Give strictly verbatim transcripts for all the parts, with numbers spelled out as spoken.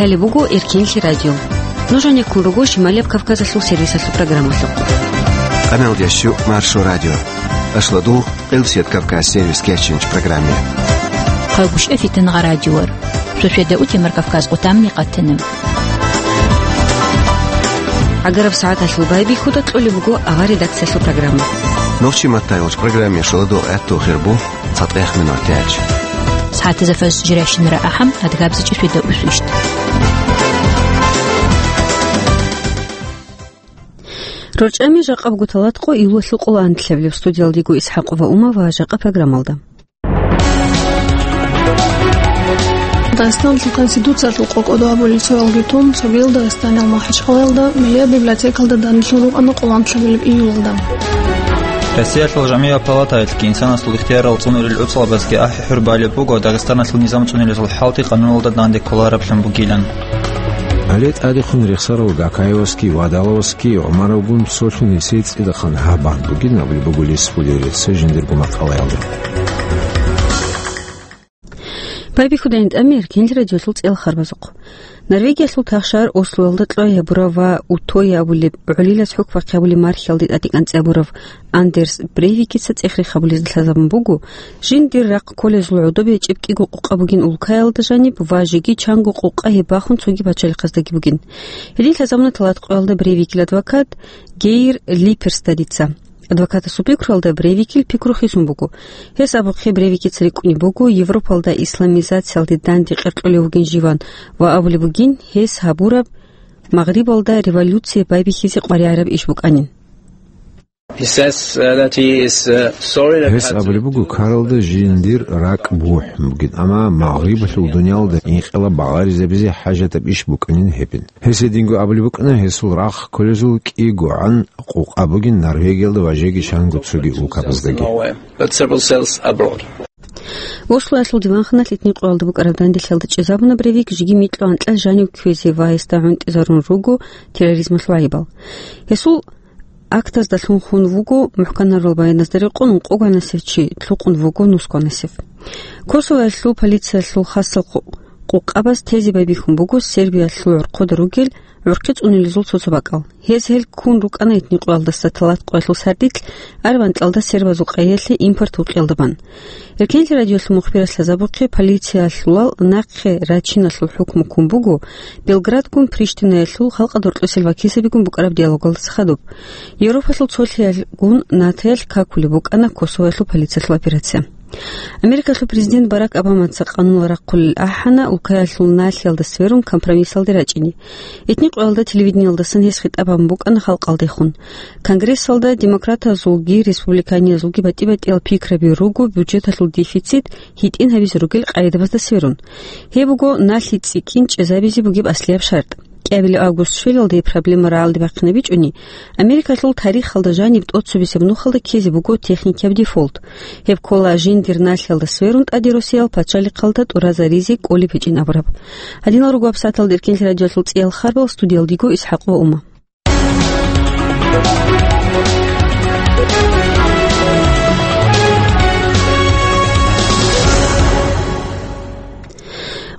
Лъалеб буго Эркенлъи радио. Нуж гьанеккун руго Шималияб Кавказалъул сервисалъул программалъухъ. Къаналдящу Маршо радио. Ашладул Къилсият Кавказ сервис кечинч программе. Хъалгушев Фитнагъа радиор. Суседа Утимар Кавказ къутамни къатана. ГӀагараб сагӀаталъул байбихьуда кьолеб буго авар редакциялъул программа. Нохчи маттайолч программе шуладул гӀатту хирбу цатӀех минутач. СагӀатазда фаз жиращинара ахӀам, адгабзичӀи суседа усвищт. РорчӀами жакъаб гуталат къо июлалъул къоло анлъабилеб. Студиялдего ИсхӀакъова Ума ва жакъа программалда. Дагъистаналъул Конституциялъул къо кӀодо абулел цоялги тун, цогидал Дагъистаналъул МахӀачхъалаялда Миллият библиотекалда данделъун рукӀана къоло анлъабилеб июлалда. Россиялъул жамгӀия палатаялъги инсанасул ихтиярал цӀунурил гӀуцӀалабазги ахӀи-хӀур балеб буго Дагъистаналъул низам цӀунилезул хӀалти къануналда данде кколараблъун бугилан. Гьале тӀадехун рехсарав Гакаевасги Вадаловасги ГӀумаровгун цолъун гьесие цӀидахъан гьаб бан бугин абулеб буго Лисфулиреца жиндирго макъалаялда. Байбихьудайин тӀамир, кинил радиолъул цӀел харбазухъ. Норвегиялъул тахшар Ослоялда кьвай гьабурав ва Утойя абулеб гӀолилас хӀукмахъе абулеб мархиялде тӀадекӀанцӀе абурав Андерс Брейвикица цӀех-рех гьабулезда лъазабун буго, жиндир рахъ кколезул гӀодобе гьечӀеб кӀиго къукъа бугин улкаялда жаниб ва жеги чанго къукъа гьеб бахун цоги пачалихъаздаги бугин. Гьедин лъазабуна тӀалатӀкъоялда Брейвикил адвокат Гейр Липерстадица. Адвокатасул пикруялда Брейвикил пикру хисун буго. Гьес абухъе Брейвикица рикӀкӀунеб буго Европалда исламизациялде данде къеркьулев вугин живан ва абулеб бугин гьес гьабураб Магърибалда революция байбихьизе къваригӀараб иш букӀанин. He says, uh, that he is, uh, sorry that Гьес had абулеб буго, Карлда жиндир ракӀ бухӀун бугин, амма Магърибалъул дуниялда инкъилаб багъаризабизе хӀажатаб иш букӀанин гьебин. Гьес гьединго абулеб букӀана, гьесул рахъ кколезул кӀигогӀан къукъа бугин Норвегиялда ва жеги чанго цоги улкабаздаги. But several cells abroad. Ослоялъул диванханалъ итни къоялда букӀараб данделъиялда чӀезабуна Брейвик жеги микьго анкьа жанив кквезе ва гьесда гӀунтӀизарун руго терроризмалъул гӀайибал. Гьесул актаздалъун хун вуго мухӀканарал баяназда рекъон ункъогоанасев чи, лъукъун вуго нусгоанасев. Косовоялъул полициялъул хасал къу-, къукъабаз тезе байбихьун буго Сербиялъул гӀорхъода ругел гӀурхъи цӀунилезул цо-цо бакӀал. Гьез гьел ккун рукӀана итни къоялдаса тӀалатӀкъоялъул сардилъ, Арван кьалда сербазул къайиялъе импорт гьукъиялда бан. Эркенлъи радиолъул мухбирас лъазабухъе, полициялъулал нахъе рачиналъул хӀукму ккун буго Белградгун Приштинаялъул халкъалда гьоркьосел вакилзабигун букӀараб диалогалдаса хадуб. Европалъул цолъиялгун НАТОялъ какулеб букӀана Косовоялъул полициялъул операция. Америкалъул президент Барак Обамаца къанунал рахъулел ахӀана, улкаялъул налъиялда сверун компромиссалде рачӀине. Итни къоялда телевидениялдасан гьес хитӀаб гьабун букӀана халкъалдехун. Конгрессалда демократазулги республиканиязулги батӀи-батӀиял пикраби руго бюджеталъул дефицит гьитӀин гьабизе ругел къагӀидабазда сверун. Гьеб буго налъи цӀикӀкӀин чӀезабизе бугеб аслияб шартӀ. КӀиабилеб август щвелалде проблема рагӀалде бахъинабичӀони, Америкалъул тарихалда жаниб тӀоцебесеб нухалда ккезе буго техникияб дефолт. Гьеб ккола жиндир налъиялда сверун тӀаде росиял пачалихъалда тӀуразаризе кӀолеб гьечӀин абураб. Гьадинал руго гьабсагӀаталда Эркенлъи радиолъул цӀиял харбал, студиялдего ИсхӀакъ ва Ума.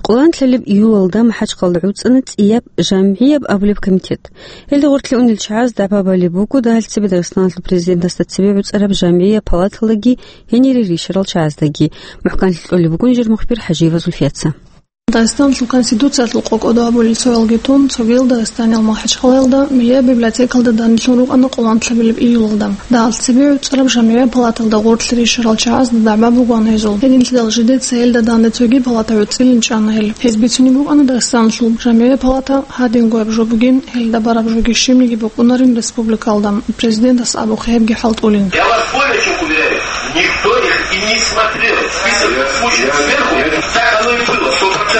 Къоло анлъабилеб июлалда МахӀачхъалда гӀуцӀана цӀияб жамгӀияб абулеб комитет. Гьелда гъорлъе унел чагӀаз дагӀба балеб буго дагьал цебе Дагъистаналъул президентасда цебе гӀуцӀараб жамгӀияб палаталдаги гьенире рищарал чагӀаздаги. МухӀканлъи кьолеб бугин жер мухбир ХӀажиева Зульфияца. Дагъистаналъул Конституциялъул къо кӀодо абулел цоялги тун, цогидал Дагъистаналъул МахӀачхъалаялда Миллият библиотекалда данделъун рукӀана къоло анлъабилеб июлалда. Дагьал цебе гӀуцӀараб жамгӀияб палаталда гъорлъе рищарал чагӀазда дагӀба бугоан гьезул. Гьединлъидал жидеца гьелда данде цоги палата гӀуцӀилин чӀана гьел. Гьез бицунеб букӀана Дагъистаналъул жамгӀияб палата гьадинго гьаб жо бугин, гьелда бараб жоги щибниги букӀунарин республикалда. Президентас абухъе гьебги хӀалтӀулин. Я вас более чем уверяю, никто их и не смотрел. Список случаев сверху, так оно и было, сто процентов.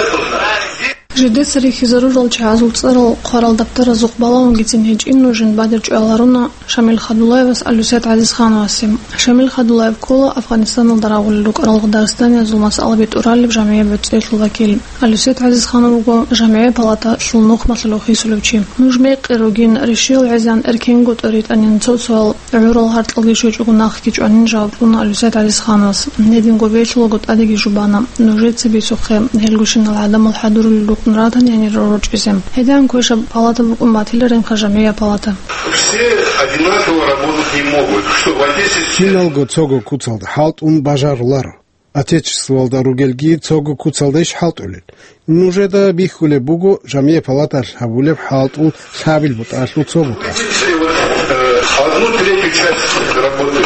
Жидеца рихьизарурал чагӀазул цӀарал хъварал даптаразухъ балагьунгицин гьечӀин нужин бадиб чӀваларуна Шамил Хадулаевас Алюсет ГӀазизхановасе. Шамил Хадулаев ккола Афганистаналда рагъулел рукӀарал дагъистаниязул масъалаби тӀуралеб жамгӀияб гӀуцӀиялъул вакил. Алюсет ГӀазизханов вуго жамгӀияб палаталъул нухмалъулев хисулев чи. Нуж мекъи ругин, ришиял гӀезегӀан эркенго тӀоритӀанин цо-цоял гӀурал гьаркьалги щвечӀого нахъги чӀванин жаваб кьуна Алюсет ГӀазизхановас. Гьединго белъулаго тӀадеги жубана. Нужеца бицухъе, гьелгощинал гӀадамал хӀадурулел рухъ ратани гьанир рорчӀизе. Гьедин квешаб палата букӀун батиларинха жамгӀия палата. Все одинаково работать не могут, что в одессе все. Киналго цого куцалда хӀалтӀун бажаруларо. Отечествоялда ругелги цого куцалда иш хӀалтӀулел. Нужеда бихьулеб буго жамгӀия палаталъ гьабулеб хӀалтӀул лъабил бутӀалъул цо бутӀа. Одну третью часть работы.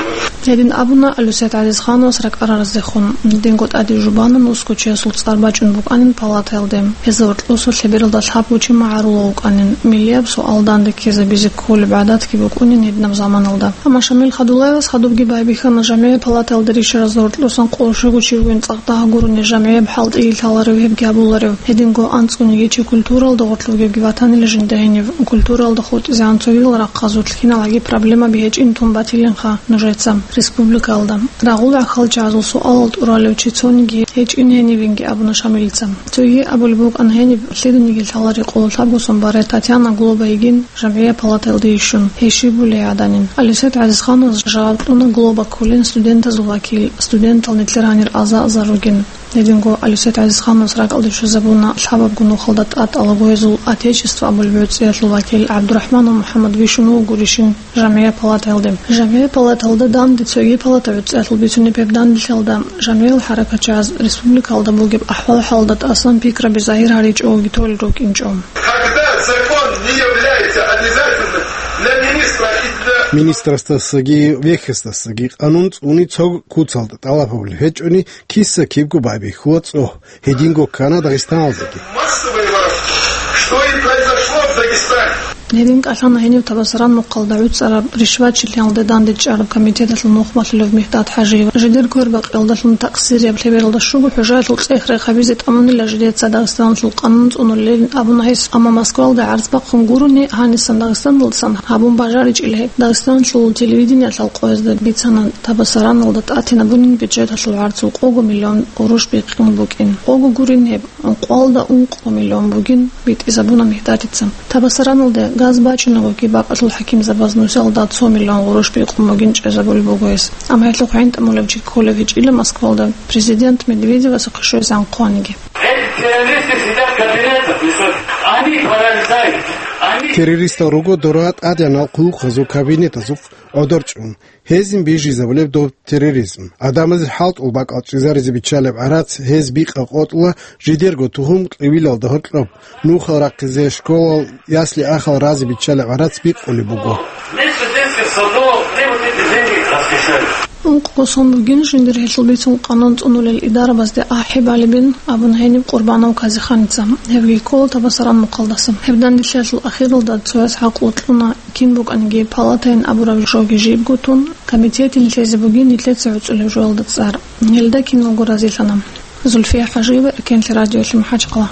Гьедин абуна Алюсет ГӀазизхановас ракӀарараздехун. Динго тӀаде жубанан ускочиясул цӀар бачӀун букӀанин палатаялде. Гьезда гьоркьоса лъебералда лъабго чи магӀарулав вукӀанин. Миллияб суал данде ккезабизе кколеб гӀадатги букӀунин гьединаб заманалда. Амма Шамил Хадуллаевас хадубги байбихьана жамгӀия палатаялда рищаразда гьоркьосан къоло щуго чи вугин цӀакъ дагь гурони жамгӀияб хӀалтӀи лъаларев гьебги абуларев. Гьединго анцӀгониги чи культуралда гъорлъ вугебги ватанила жинда гьенив, культуралда хутӀизегӀан цогидал рахъазулъ киналги проблемаби гьечӀин тун батилинха нужеца республикаялда. Рагъул гӀахьалчагӀазул суалал тӀуралев чи цониги гьечӀин гьенивинги абуна Шамилица. Цоги абулеб букӀана гьениб лъиданиги лъалари къоло лъабго сон барай Татьяна Глоба йигин жамгӀия палатаялде йищун, гьей щиб були гӀаданин. Алюсет ГӀазизхановас жаваб кьуна Глоба кколин студентазул вакил, студентал нилъер гьанир аза-азар ругин. Гьединго Алюсет ГӀазизхановас ракӀалде щвезабуна лъабабго нухалда тӀад алаго гьезул Отечество абулеб гӀуцӀиялъул вакил ГӀабдурахӀманов МухӀаммад вищун вуго гурищин жамгӀия палатаялде. ЖамгӀия палатаялда данде цоги палата гӀуцӀиялъул бицунеб гьеб данделъалда жамгӀиял хӀаракатчагӀаз республикаялда бугеб ахӀвал-хӀалалда тӀасан пикраби загьир гьаричӀого толел рукӀинчӀо. Когда закон не является обязательным для министра и для... Министрасдасаги вехьасдасаги къанун цӀуни цо куцалда тӀалаб гьабулеб гьечӀони, киса-кибго байбихьула цӀогь, гьединго ккана Дагъистаналдаги. Массовые воровства. Что и произошло в Дагестане. Гьедин кӀалъана гьенив Табасаран мухъалда гӀуцӀараб ришвачилъиялде дандечӀараб комитеталъул нухмалъулев Мигьдад ХӀажиев. Жидер квербакъиялдалъун такъсирияб лъебералда щуго хӀужаялъул цӀех рехабизе тӀамунила жидеца Дагъистаналъул къанун цӀунулилин абуна гьес, амма Москвалда гӀарз бахъун гурони, гьанисан Дагъистаналдасан гьабун бажаричӀила гьеб. Дагъистаналъул телевидениялъ къоязда бицана ТабасараналдатӀатинабунин бюджеталъул гӀарцул къого миллион къуруш бикъун букӀин. Къого гурин гьеб. Ункъоялда ункъо миллион бугин битӀизабуна Мигьдадица. Табасараналде газ бачӀунагоги бакӀалъул хӀакимзабаз нусиялда цо миллион гъурущ бикъун бугин чӀезабулеб буго гьес. Амма гьелъухъ гӀинтӀамулев чи кколев гьечӀила Москвалда президент Медведевасухъе щвезегӀан хъваниги. Эти террористы сидят в кабинетах, и что? Они парализуют. Они... Террористал руго дора тӀадегӀанал хъулухъазул кабинетазухъ гӀодор чӀун. Гьезин бижизабулеб доб терроризм. Адамазе хӀалтӀул бакӀал чӀезаризе биччалеб гӀарац гьез бикъа къотӀула жидерго тугьум кьивилалда гьоркьоб. Нухал рахъизе, школал, ясли-ахал разе биччалеб гӀарац бикъулеб буго. Вместо детских садов, где вот эти деньги расхищали? Ункъго сон бугин жиндир гьелъул бицун къанун цӀунулел идарабазде ахӀи балебин абун гьениб Къурбанов Казиханица. Гьебги ккола Табасаран мухъалдаса. Гьеб данделъиялъул ахиралда цояс гӀакълу кьуна, кин букӀаниги палатайин абураб жоги жибго тун, комитетин лъезе бугин нилъеца гӀуцӀулеб жоялда цӀар. Гьелда киналго разилъана. Зульфия ХӀажиева, Эркенлъи радиолъи, МахӀачхъала.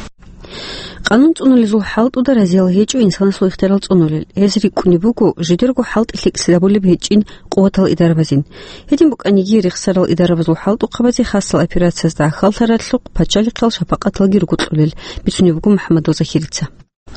Къанун цӀунулезул хӀалтӀуда разиял гьечӀо инсанасул ихтиярал цӀунулел. Гьез рикӀкӀунеб буго жидерго хӀалтӀи лъикӀлъи гьабулеб гьечӀин къуватал идарабазин. Гьедин букӀаниги, рехсарал идарабазул хӀалтӀухъабазе хасал операциязда гӀахьаллъаралъухъ пачалихъал шапакъаталги руго кьолел, бицунеб буго МухӀаммадов Захирица.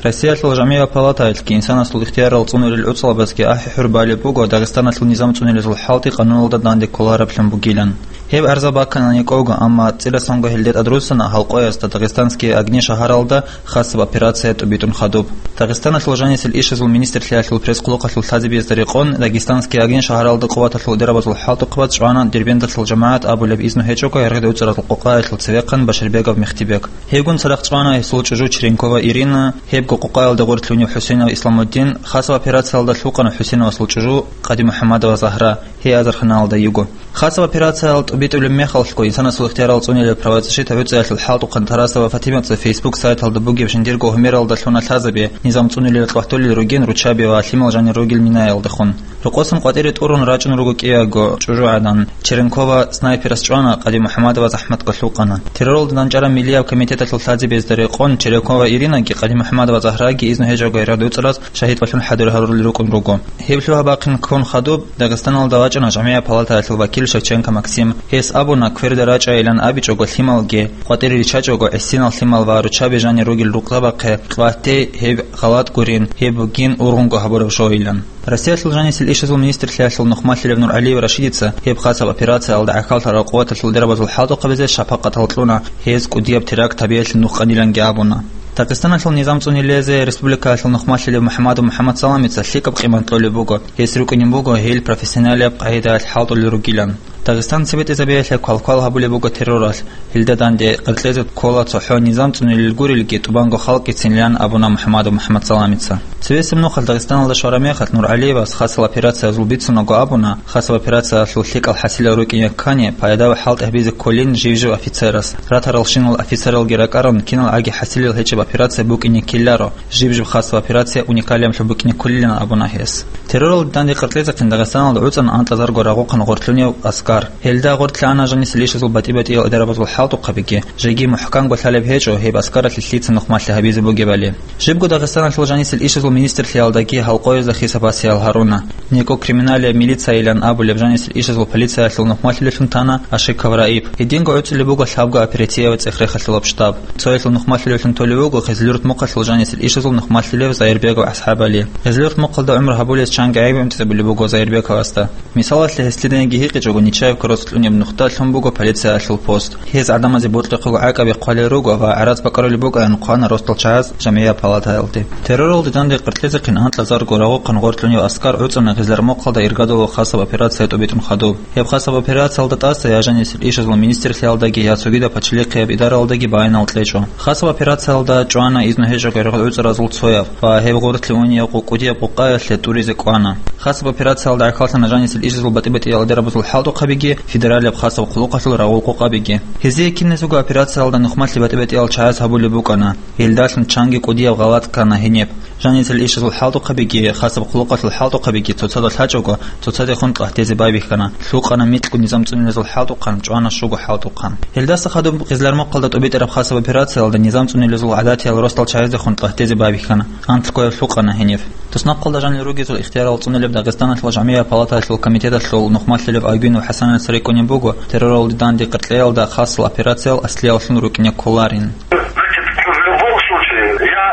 Россиялъул жамгӀия палатаялъги инсанасул ихтиярал цӀунулел гӀуцӀалабазги ахӀи-хӀур балеб буго Дагъистаналъул низам цӀунулезул хӀалтӀи къануналда данде кколараб лъун бугилан. Гьеб гӀарза баккана никӀого, амма цӀирасанго гьелде тӀадруссана гьал къоязда Дагъистанские огни шагьаралда хасаб операция тӀубитӀун хадуб. Дагъистаналъул жанисел ишазул министрлъиялъул пресс-хъулухъалъул лъазабиязда рекъон, Дагъистанские огни шагьаралда къуваталъул идарабазул хӀалтӀухъабаз чӀвана Дербенталъул жамагӀат абулеб изну гьечӀого гьаргъида уцӀаразул къокъаялъул цевехъан Баширбегов Мехтибек. Гьебгун цадахъ чӀвана гьесул чӀужу Черенкова Ирина, гьебго къокъаялда гъорлъунев ХӀусейнов Исламуддин, хасаб операциялда лъукъана ХӀусейновасул чӀужу КъадимухӀаммадова Загьра, гьей азарханалда йиго. Хасаб операциялда тӀубитӀулеб мехалъго инсанасул ихтиярал цӀунилеб правозащита гӀуцӀиялъул хӀалтӀухъан Тарасова Фатимаца Facebook сайталда бугеб жиндирго гьумералда лъуна лъазабе, низам цӀунилел къватулел ругин руччаби ва лъимал жанир ругел минаялдехун. Рокъосан къватӀире тӀурун рачӀун руго кӀиябго чӀужугӀадан. Черенкова снайперас чӀвана, КъадимухӀаммадова захӀматго лъукъана. Терроралда данчӀараб миллияб комитеталъул лъазабиязда рекъон Черенкова Иринаги КъадимухӀаммадова Загьраги изну гьечӀого гьаргъида уцӀараз шагьидвалъун хӀадур гьарурулел рукӀун руго. Гьеб лъугьа-бахъин ккун хадуб, Дагъистаналда вачӀана жамгӀия палатаялъул вакил Шевченко Максим. Гьес абуна, кверда рачӀайилан абичӀого лъималги, къватӀире риччачӀого гӀисинал лъимал ва руччаби жанир ругел рукъзабахъе къватӀи, гьеб гъалатӀ гурин, гьеб бугин ургъунго гьабураб жоилан. Россиялъул жанисел ишазул министрлъиялъул нухмалъилев НургӀалиев Рашидица гьеб хасаб операциялда гӀахьаллъарал къуваталъул идарабазул хӀалтӀухъабазе шапакъатал кьуна, гьез кӀудияб теракт гьабиялъе нух къаниланги абуна. Дагъистаналъул низам цӀунилезе республикаялъул нухмалъилев МухӀамадов МухӀаммад Саламица лъикӀаб къимат кьолеб буго, гьес рукӀунеб буго гьел профессионалияб къагӀидаялъ хӀалтӀулел ругилан. Дагъистан цебетӀезабиялъе квалквал гьабулеб буго терроралъ, гьелда данде къеркьезе ккола цохӀо низам цӀунилел гурелги тӀубанго халкъгицинилан абуна МухӀамадов МухӀаммад Саламица. Цевесеб нухалъ Дагъистаналда щвараб мехалъ НургӀалиевас хасал операциязул бицунаго абуна, хасал операциялъул лъикӀал хӀасилал рукӀине ккани, пайда ва хӀалтӀи гьабизе кколин жив-жив офицерас. Ратаралщинал офицералги ракӀарун, кинал гӀаги хӀасилел гьечӀеб операция букӀине ккеларо, жиб-жиб хасаб операция уникалиямлъун букӀине кколилан абуна гьес. Терроралда данде къеркьезехъин Дагъистаналда гӀуцӀана анкьазарго рагъухъан гъорлъунев аскар. Гьелда гъорлъана жанисел ишазул батӀи-батӀиял адабазул хӀалтӀухъабиги, жеги мухӀканго лъалеб гьечӀо гьеб аскаралъе лъица нухмалъи гьабизе бугебали. Жибго Дагъистаналъул жанисел ишазул министрлъиялдаги гьалкъоязда хисаб гьасиял гьаруна. НекӀо криминалияб милицайилан абулеб жанисел ишазул полициялъул нухмалъилеллъун тана Ашиков Раиб. Гьединго гӀуцӀулеб буго лъабго оперативаяб цӀех-рехалъул обштаб. Цоялъул нухмалъилеллъун толев вуго Хизлюрт мухъалъул жанисел ишазул нухмалъилев Зайирбеков АсхӀабали. Хизлюрт мухъалда гӀумру гьабулес чанги гӀайиб имцӀабулеб буго Зайирбековасда. Мисалалъе, гьес лъиданиги гьикъичӀого Нечаевка росулъ кьунеб нухда лъун буго полициялъул пост. Гьез гӀадамазе бокьухъего гӀакӀаби хъвалел руго ва гӀарац бакӀарулеб букӀаян хъвана росдал чагӀаз жамгӀияб палатаялде. Терроралда данде къеркьезехъин анкьазарго рагъухъан гъорлъунев аскар гӀуцӀана Гъизлармохъалда иргадулев хасаб операция тӀубитӀун хадуб. Гьеб хасаб операциялда тӀаса я жанисел ишазул министрлъиялдаги, я цогидаб пачалихъияб идаралдаги баянал кьечӀо. Хасаб операциялда чӀвана изну гьечӀого гӀергъуцӀаразул цояб ва гьеб гъорлъе унияв къу-, кӀудияб къукъаялъе тӀуризе кӀвана. Хасаб операциялда гӀахьаллъана жанисел ишазул батӀи-батӀиял адабазул хӀалтӀухъабиги, федералияб хасаб хъулухъалъул рагъул къукъабиги. Гьезие киназего операциялда нухмалъи батӀи-батӀиял чагӀаз гьабулеб букӀана. Гьелдалъун чанги кӀудияв гъалатӀ ккана гьениб. Жанисел ишазул хӀалтӀухъабиги, хасаб хъулухъалъул хӀалтӀухъабиги цоцазда лъачӀого, цоцадехун къагьтезе байбихьана, лъукъана микьго низам цӀунилезул хӀалтӀухъан, чӀвана щуго хӀалтӀухъан. Гьелдаса хадуб Гъизлармохъалда тӀубитӀараб хасаб операциялда низам цӀунилезул гӀадатиял росдал чагӀаздехун къагьтезе байбихьана, анлъго гьев лъукъана гьениб. Туснахъалда жанир ругезул ихтиярал цӀунулеб Дагъистаналъул жамгӀияб палаталъул комитеталъул нухмалъилев Агюнов ХӀасанас рекӀунеб буго, терроралде данде къеркьеялда хасал операциял аслияллъун рукӀине кколарин. Значит, в любом случае, я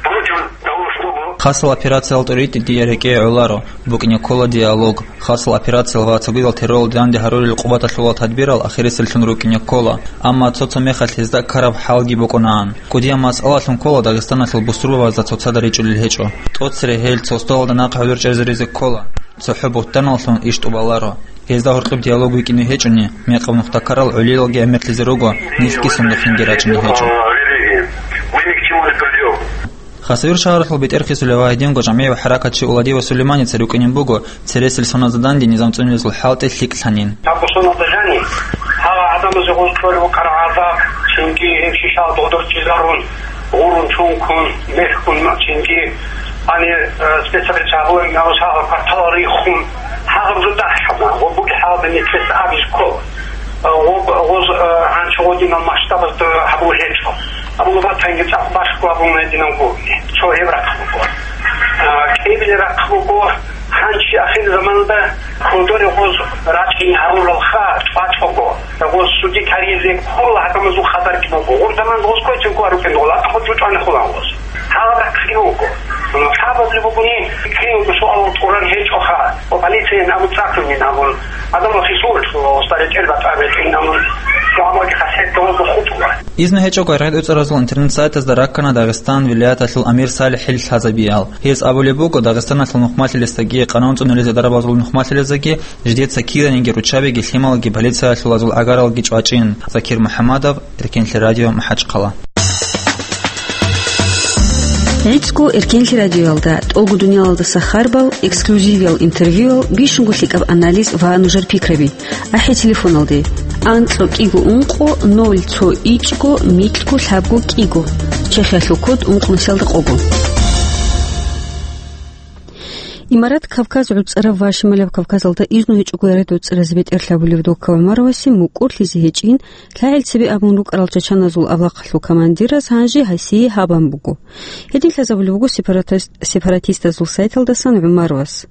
против того, чтобы... Хасал операциял тӀуритӀи дие рекӀее гӀоларо, букӀине ккола диалог. Хасал операциял ва цогидал терроралде данде гьарулел къубаталъула тадбирал ахириселлъун рукӀине ккола, амма цо-цо мехалъ гьезда ккараб хӀалги букӀунаан. КӀудияб масъалалъун ккола Дагъистаналъул бусурбабазда цоцазда ричӀулел гьечӀо. ТӀоцере гьел цо столалда нахъ гӀодор чӀезаризе ккола. ЦохӀо бугьтаналлъун иш тӀубаларо. Гьезда гьоркьоб диалог вукӀине гьечӀони, мекъаб нухда ккарал гӀолиялги гӀемерлъизе руго, нилъги сундухъинги рачӀине гьечӀо. Мы ни к чему не придём. Хасавюрт шагьаралъул бетӀер хисулев ва гьединго жамгӀияб хӀаракатчи Уладиева Сулейманица рукӀинин буго, цересел соналда данде низам цӀунилезул хӀалтӀи лъикӀлъанин. Гьаб соналда жаниб гьала гӀадамазе гъоз кколев вукӀараб гӀазаб, цинги гьеб шишал додорчӀизарун, гъурун чункун, мехкун, цинги гьанир, э, спецоперация гьабулеб мехалъ гьала кварталал риххун, гьагъаб жо дагьлъана, ва бугеб хӀалда нилъеца абизе ккола. Э, гъоб-, гъоз, э, гьанчо гъодинал масштабазда гьабулеб гьечӀо. Абула батанги цӀакъ башго абун гьединав гурони. Цо гьеб рахъ буго. А, кӀиабилеб рахъ буго, гьанчи ахир заманда кодоре гъоз рачӀин гьаруралха, цӀвачӀого. Гъоз суде каризе ккола гьадамазул хабарги буго. Гъур заман гъоз кквечӀеб гуро рукӀин гъола, ахъо чӀучӀани хулан гъоз. Гьаб рахъги буго. Гьабабли бугони, киналго суалал тӀуран гьечӀоха. Ва полициян абу цӀакъинин абун. Гьадамал хисур, ва старе тӀер батӀа бетӀин абун. Гьабаги хасет гъоз хутула. Изну гьечӀого гӀергъуцӀаразул интернет-сайтазда раккана Дагъистан вилаяталъул амир СалихӀил лъазабиял. Гьес абулеб буго, Дагъистаналъул нухмалъилесдаги къанун цӀунулезе дарабазул нухмалъилездаги жидеца киданиги руччабиги лъималги полициялъулазул гӀагаралги чӀвачӀин. Закир МухӀаммадов, Эркенлъи радио, МахӀачхъала. ГӀицӀго Эркенлъи радиоялда тӀолго дуниялалдаса харбал, эксклюзивиял интервьюял, бищунго лъикӀаб анализ ва нужер пикраби. АхӀи телефоналде: анкьго кӀиго ункъо ноль цо ичӀго микьго лъабго кӀиго. Чехиялъул код ункънусиялда къого. Имарат Кавказ гӀуцӀарав ва Шималаб Кавказалда изну гьечӀого гӀарад гӀуцӀаразе бетӀерлъабулев Дока ГӀумаровасе мукӀурлъизе гьечӀин, лъагӀел цебе абун рукӀарал чачаназул авлахъалъул командирас гьанже гьасие гьаб бан буго. Гьедин лъазабулеб буго сепаратист-, сепаратистазул сайталдасан ГӀумаровас.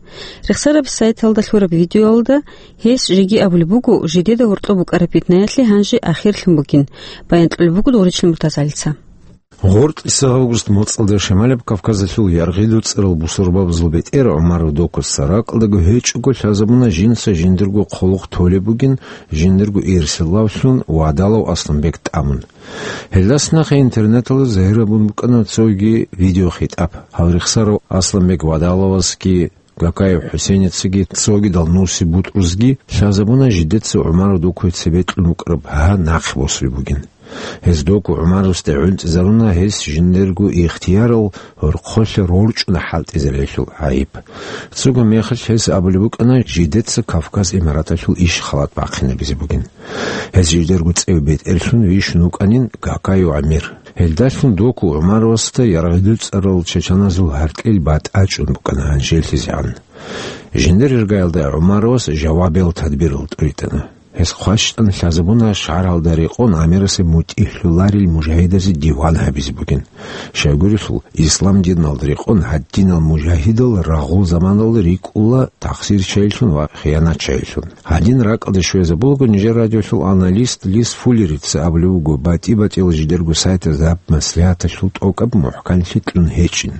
Рехсараб сайталда лъураб видеоялда гьес жеги абулеб буго, жидеда гьоркьоб букӀараб питнаялъе гьанже ахирлъун бугин, баян кьулеб буго Доричный Муртазалица. Гъоркьиса август моцӀалда Шималаб Кавказалъул яргъиду цӀарал бусурбабазул бетӀер ГӀумаров Докуца ракӀалдаго гьечӀого лъазабуна жинца жиндирго хъулухъ толеб бугин, жиндирго ирсилавлъун Вадалов Асланбек тӀамун. Гьелдаса нахъе интернеталда загьир гьабун букӀана цоги видеохитӀаб. Гьал рехсарав Асланбек Вадаловасги Гакаев ХӀусейницаги цогидал нусиб бутӀрузги лъазабуна жидеца ГӀумаров Докуе цебе кьун букӀараб гьа нахъе босулеб бугин. Гьез Доку ГӀумаровасде гӀунтӀизаруна гьес жиндирго ихтиярал гьорхъолъа рорчӀуна хӀалтӀизаралъул гӀайиб. Цого мехалъ гьес абулеб букӀана жидеца Кавказ Имараталъул иш халат бахъинабизе бугин. Гьез жидерго цӀев бетӀерлъун вищун вукӀанин Гакаев ГӀамир. Гьелдалъун Доку ГӀумаровасда яргъиду цӀарал чачаназул гьаркьил батӀа чӀун букӀана гьанжелъизегӀан. Жиндир иргаялда ГӀумаровас жавабиял тадбирал тӀуритӀана. Гьес хъващтӀан лъазабуна шагьаралда рекъон гӀамирасеб мутӀигӀлъуларел мужагьидазе диван гьабизе бугин. Щайгурелъул, ислам диналда рекъон гьадинал мужагьидал рагъул заманалда рикӀкӀула тахсирчайилъун ва хиянатчайилъун. Гьадин ракӀалде щвезабулаго нижер радиолъул аналист Лис Фуллерица абулеб буго, батӀи-батӀиял жидерго сайтазда гьаб маслигьаталъул тӀокӀаб мухӀканлъи кьун гьечӀин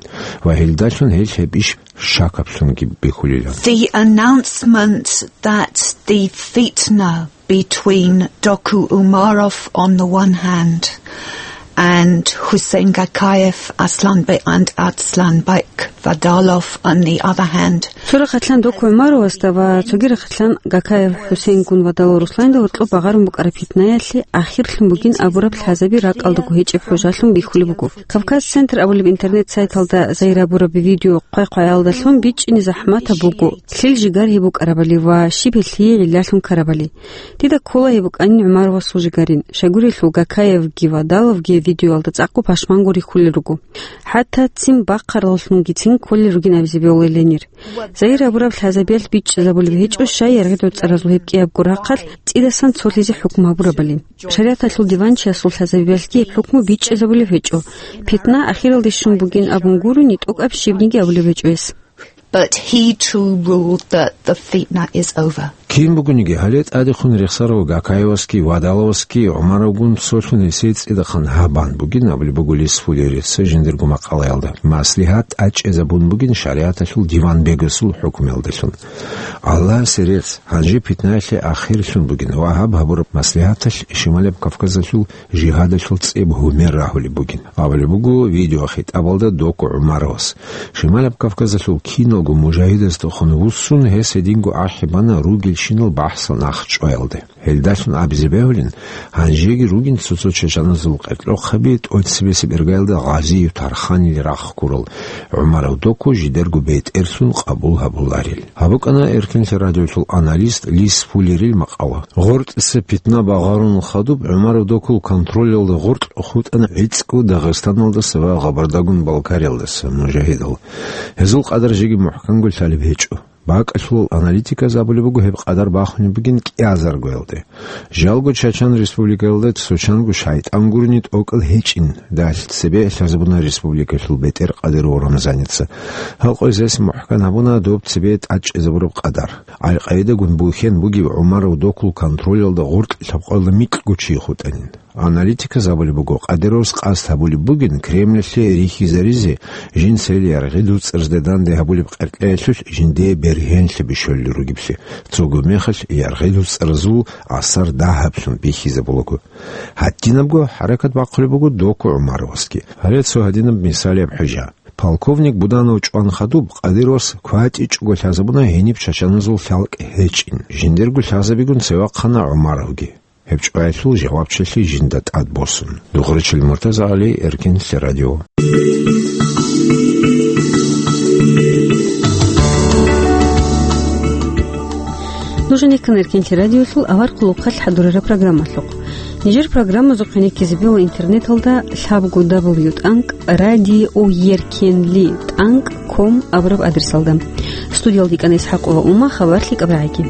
ва гьелдалъун гьел гьеб иш шакаблъунги бихьулилан. The announcement that the fitna between Doku Umarov on the one hand and Hussein Gakayev, Aslanbek and Aslanbek Vadalov on the other hand. Цо рахъалъан Доку ГӀумаровасда ва цоги рахъалъан Гакаев ХӀусейнгун Вадалов Русланидал гьоркьоб багъарун букӀараб питнаялъе ахирлъун бугин абураб лъазаби ракӀалдаго гьечӀеб хӀужалъун бихьулеб буго. Кавказ Центр абулеб интернет-сайталда загьир гьабураб видео хъвай-хъваялдалъун бичӀчӀине захӀматаб буго, лъил жигар гьеб букӀарабали ва щиб гьелъие гӀиллалъун ккарабали. Дида ккола гьеб букӀанин ГӀумаровасул жигарин, щайгурелъул Гакаевги Вадаловги видеоялда цӀакъго пашманго рихьулел руго. ХӀатта ццин бахъараллъунгицин кколел ругин абизе бегьулел гьенир. Загьир гьабураб лъазабиялъ бичӀчӀизабулеб гьечӀо, щай яргъиду цӀаразул гьеб кӀиябго рахъалъ цӀидасан цолъизе хӀукму гьабурабали. ШаригӀаталъул диванчиясул лъазабиялъги гьеб хӀукму бичӀчӀизабулеб гьечӀо. Питна ахиралде щун бугин абун гурони, тӀокӀаб щибниги абулеб гьечӀо гьес. But he too ruled that the fitna is over. Кин бугониги, гьале тӀадехун рехсарав Гакаевасги Вадаловасги ГӀумаровгун цолъун гьесие цӀидахъан гьаб бан бугин абулеб буго Лис Фуллерица жиндирго макъалаялда. Маслигьат тӀачӀезабун бугин шаригӀаталъул диван бегасул хӀукмуялдалъун. Аллагьасе рецц, гьанже питнаялъе ахирлъун бугин ва гьаб гьабураб маслигьаталъ Шималаб Кавказалъул жигьадалъул цӀеб гьумер рагьулеб бугин, абулеб буго видеохитӀабалда Доку ГӀумаровас. Шималаб Кавказалъул киналго мужагьидасдехун вуссун, гьес гьединго ахӀи бана ругелщинал бахӀсал нахъчӀваялде. Гьелдалъун абизе бегьулин, гьанжеги ругин цо-цо чачаназул къеркьохъаби тӀоцебесеб иргаялда Гъазиев Тарханил рахъ ккурал ГӀумаров Доку жидерго бетӀерлъун къабул гьабуларел. Гьаб букӀана Эркенлъи радиолъул аналист Лис Фуллерил макъала. Гъоркьиса питна багъарун хадуб, ГӀумаров Докул контролялда гъоркь хутӀана гӀицӀго Дагъистаналдаса ва Гъабардагун Балкариялдаса мужагьидал. Гьезул къадар жеги мухӀканго лъалеб гьечӀо. БакӀалъулал аналитиказ абулеб буго гьеб къадар бахунеб бугин кӀиазаргоялде. Жалго Чачан Республикаялда цо чанго шайтӀан гурони тӀокӀал гьечӀин, далъ цебе лъазабуна республикалъул бетӀер Къадиров Рамзаница. Гьал къоязес мухӀкан гьабуна доб цебе тӀачӀезабураб къадар. Аль-Къаидагун бухьен бугев ГӀумаров Докул контролялда гъоркь лъабкъоялда микьго чи хутӀанин. Аналитиказ абулеб буго, Къадировас къасд гьабулеб бугин Кремльалъе рихьизаризе, жинцайилан яргъиду цӀарзде данде гьабулеб къеркьеялъулъ жиндие бергьенлъи бищулел ругеблъи, цого мехалъ яргъиду цӀаразул асар дагьаблъун бихьизабулаго. Гьадинабго хӀаракат бахъулеб буго Доку ГӀумаровасги. Гьале цо гьадинаб мисалияб хӀужа. Полковник Буданов чӀван хадуб, Къадировас кватӀичӀого лъазабуна гьениб чачаназул лъалкӀ гьечӀин. Жиндирго лъазабигун цевахъана ГӀумаровги. Гьеб чӀваялъул жавабчилъи жинда тӀад босун. Дугъричил Муртазагьали, Эркенлъи радио. Нуж гьанеккан Эркенлъи радиолъул авар хъулухъалъ хӀадурараб программалъухъ. Нижер программазухъе гьанеккизе бегьула интернеталда лъабго дабл ю тӀанкӀ радио еркенлъи тӀанкӀ ком абураб адресалда. Студиялда йикӀана ИсхӀакъова Ума, хабар лъикӀаб рагӀиги.